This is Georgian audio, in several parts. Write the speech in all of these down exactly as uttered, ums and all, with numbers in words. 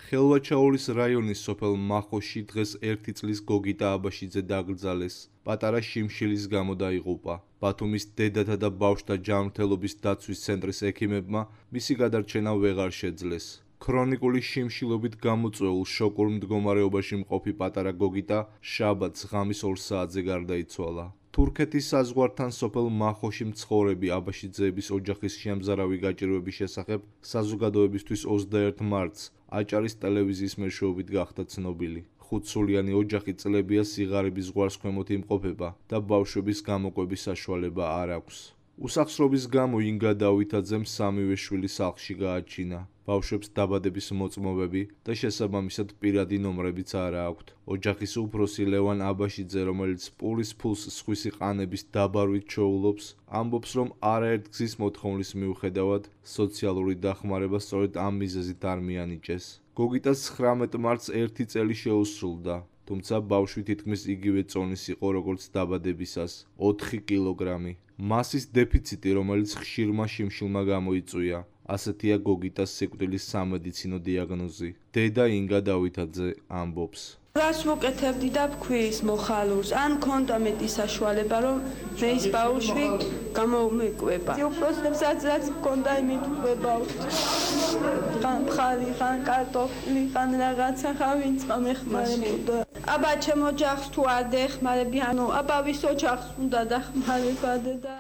ხელვაჩაულის რაიონის სოფელ მახოში დღეს ერთი წლის გოგიტა აბაშიძე დაკრძალეს. პატარა შიმშილის გამო დაიღუპა. ბათუმის დედათა და ბავშვთა ჯანმრთელობის დაცვის ცენტრის ექიმებმა მისი გადარჩენა ვეღარ შეძლეს. ქრონიკული შიმშილობით გამოწვეულ შოკურ მდგომარეობაში მყოფი პატარა გოგიტა შაბათს ღამის ორ საათზე გარდაიცვალა. თურქეთის საზღვართან სოფელ მახოში მცხოვრები აბაშიძეების ოჯახის შემზარავი გაჭირვების შესახებ საზოგადოებისთვის ოცდაერთ მარტს აჭარის ტელევიზიის მეშვეობით გახდა ცნობილი. ხუთსულიანი ოჯახი წლებია სიღარიბის ზღვარს ქვემოთ იმყოფება და ბავშვების გამოკვების საშუალება არ აქვს. უსახსრობის გამო ინგა დავითაძემ სამივე შვილი სახლში გააჩინა. ბავშვებს დაბადების მოწმობები და შესაბამისად პირადი ნომრებიც არ აქვთ. ოჯახის უფროსი ლევან აბაშიძე, რომელიც პურის ფულს სხვისი ყანების დაბარვით ჩოულობს, ამბობს, რომ არაერთ გზის მოთხოვნის მიუხედავად სოციალური დახმარება სწორედ ამ მიზეზით არ მიანიჭეს. გოგიტას ცხრამეტ მარტს ერთი წელი შეუსრულდა, თუმცა ბავშვი თითქმის იგივე წონის იყო როგორც დაბადებისას, ოთხი კილოგრამი. მასის დეფიციტი, რომელიც ხშირმა შიმშილმა გამოიწვია. ასეთია გოგიტას სიკვდილის სამედიცინო დიაგნოზი. დედა ინგა დავითაძე ამბობს. რას ვუკეთებდი და ვქვის მოხალულს, ან მქონდა მეტი საშუალება, რომ მე ის ბავშვი გამომეკვება. უფროსებსაც რაც მქონდა იმით ვკვებავთ. ხან ხალი, ხან კარტოფილი, ხან რაღაცა ხავინც მეხმარებოდა. აბა ჩემ ოჯახს თუ არ დეხმარები, ანუ აბა ვის ოჯახს უნდა დახმარება და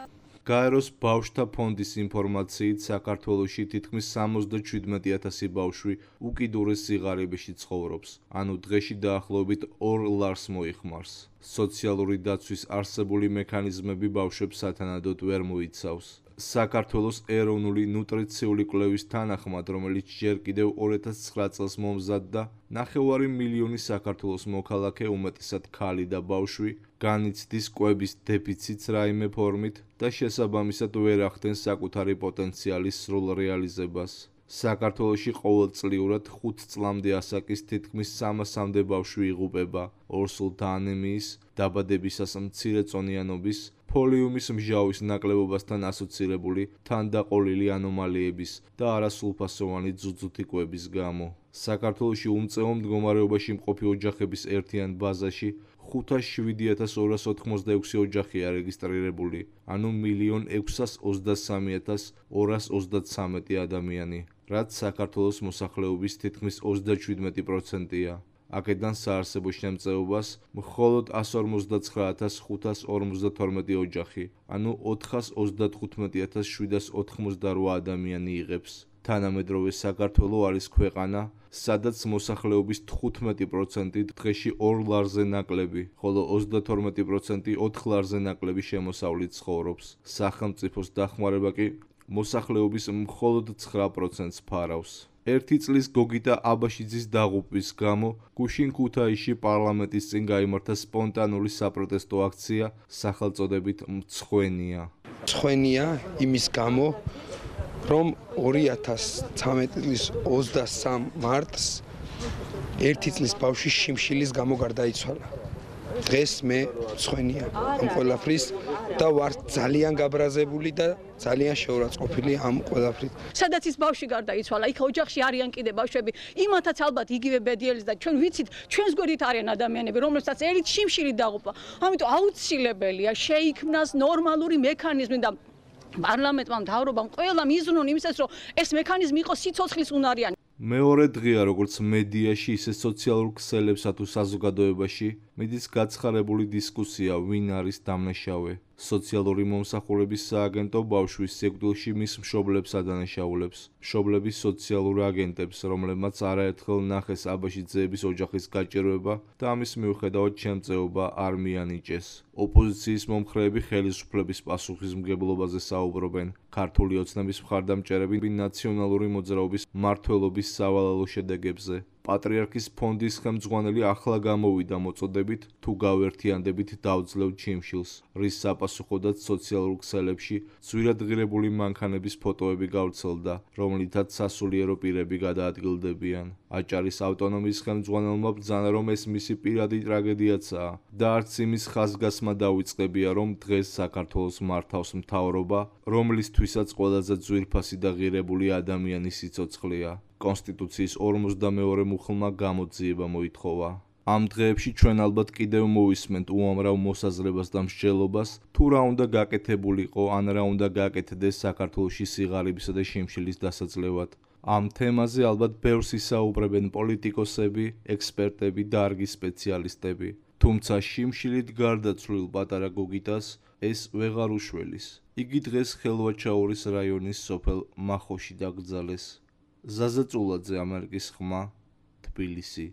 გაეროს ბავშვთა ფონდის ინფორმაციით საქართველოში თითქმის სამოცდაშვიდმეტი ათასი ბავშვი უკიდურეს სიღარიბეში ცხოვრობს, ანუ დღეში დაახლოებით ორ ლარს მოიხმარს. სოციალური დაცვის არსებული მექანიზმები ბავშვებს სათანადოდ ვერ მოიცავს. საქართველოს ეროვნული ნუტრიციული კვლევის თანახმად, რომელიც ჯერ კიდევ ორ ათას ცხრა წელს მომზადდა, ნახევარი მილიონი საქართველოს მოქალაქე, უმეტესად ქალი და ბავშვი, განიცდის კვების დეფიციტს რაიმე ფორმით და შესაბამისად ვერ ახდენს საკუთარი პოტენციალის სრულ რეალიზებას. საქართველოში ყოველწლიურად ხუთ წლამდე ასაკის თითქმის სამასამდე ბავშვი იღუპება ორსულთა ანემიის, დაბადებისას მცირეწონიანობის, ფოლიუმის მსჟავის ნაკლებობასთან ასოცირებული თანდაყოლილი ანომალიების და არასრულფასოვანი ძუძუთი კვების გამო. საქართველოში უმწეო მდგომარეობაში მყოფი ოჯახების ერთიან ბაზაში ხუთას შვიდი ათას ორას ოთხმოცდაექვსი ოჯახია რეგისტრირებული, ანუ მილიონ ექვსას ოცდასამი ათას ორას ოცდათსამეტი ადამიანი, რაც საქართველოს მოსახლეობის თითქმის ოცდაშვიდმეტი პროცენტია. აქედან საარსებო შემწეობას მხოლოდ ასს ორმოცდაცხრა ათას ხუთას ორმოცდათორმეტი ოჯახი, ანუ ოთხას ოცდათხუთმეტი ათას შვიდას ოთხმოცდარვა ადამიანი იღებს. თანამედროვე საქართველო არის ქვეყანა, სადაც მოსახლეობის თხუთმეტი პროცენტი დღეში ორ ლარზე ნაკლები, ხოლო ოცდათორმეტი პროცენტი ოთხ ლარზე ნაკლები შემოსავლით ცხოვრობს. სახელმწიფოს დახმარება კი მოსახლეობის მხოლოდ ცხრა პროცენტს ფარავს. ერთი წლის გოგიტა აბაშიძის დაღუპვის გამო გუშინ ქუთაისში პარლამენტის წინ გაიმართა სპონტანური საპროტესტო აქცია სახელწოდებით მცხვენია. მცხვენია იმის გამო, რომ ორი ათას ცხრამეტი წლის ოცდასამ მარტს ერთი წლის ბავშვი შიმშილის გამო გარდაიცვალა. დღეს მე მცხვენია ამ ყველაფრის და ვარ ძალიან გაბრაზებული და ძალიან შეურაცხყოფილი ამ ყველაფრით. სადაც ის ბავშვი გარდაიცვალა, იქ ოჯახში არიან კიდე ბავშვები, იმათაც ალბათ იგივე ბედიელის და ჩვენ ვიცით, ჩვენს გვერდით არიან ადამიანები, რომლებსაც ერით შიმშილი დაღუპა. ამიტომ აუცილებელია შეიქმნას ნორმალური მექანიზმი და პარლამენტმა, მთავრობამ ყველამ იზრუნონ იმისას, რომ ეს მექანიზმი იყოს სიცოცხლის უნარიანი. მეორე დღეა, როგორც მედიაში, ისე სოციალურ ქსელებსა თუ საზოგადოებაში მიდის გაცხარებული დისკუსია, ვინ არის დამნაშავე. სოციალური მომსახურების სააგენტო ბავშვის სიკვდილში მის მშობლებს ადანაშაულებს, მშობლების სოციალურ აგენტებს, რომლებმაც არაერთხელ ნახეს აბაშიძეების ოჯახის გაჭირვება და ამის მიუხედავად შემწეობა არ მიანიჭეს. ოპოზიციის მომხრეები ხელისუფლების პასუხისმგებლობაზე საუბრობენ. ქართული ოცნების მხარდამჭერები ნაციონალური მოძრაობის მმართველობის სავალალო შედეგებზე. პატრიარქის ფონდის ხელმძღვანელი ახლა გამოვიდა მოწოდებით, თუ გავერთიანდებით დავძლევთ შიმშილს, რის საპასუხოდაც სოციალურ ქსელებში ძვირადღირებული მანქანების ფოტოები გავრცელდა, რომლითაც სასულიერო პირები გადაადგილდებიან. აჭარის ავტონომიის ხელმძღვანელმა ბრძანა, რომ ეს მისი პირადი ტრაგედიაცაა და არც იმის ხაზგასმა დავიწყებია, რომ დღეს საქართველოს მართავს მთავრობა, რომლისთვისაც ყველაზე ძვირფასი და ღირებული ადამიანის სიცოცხლეა. კონსტიტუციის ორმოცდამეორე მუხლმა გამოძიება მოითხოვა. ამ დღეებში ჩვენ ალბათ კიდევ მოვისმენთ უამრავ მოსაზრებას და მსჯელობას, თუ რა უნდა გაკეთებულიყო, ან რა უნდა გაკეთდეს საქართველოში სიღარიბისა და შიმშილის დასაძლევად. ამ თემაზე ალბათ ბევრს ისაუბრებენ პოლიტიკოსები, ექსპერტები და არგის სპეციალისტები. თუმცა შიმშილით გარდაცვლილ პატარა გოგიტას ეს ვეღარ უშველის. იგი დღეს ხელვაჩაურის რაიონის სოფელ მახოში დაკრძალეს. ზაზა წულაძე, ამერიკის ხმა, თბილისი.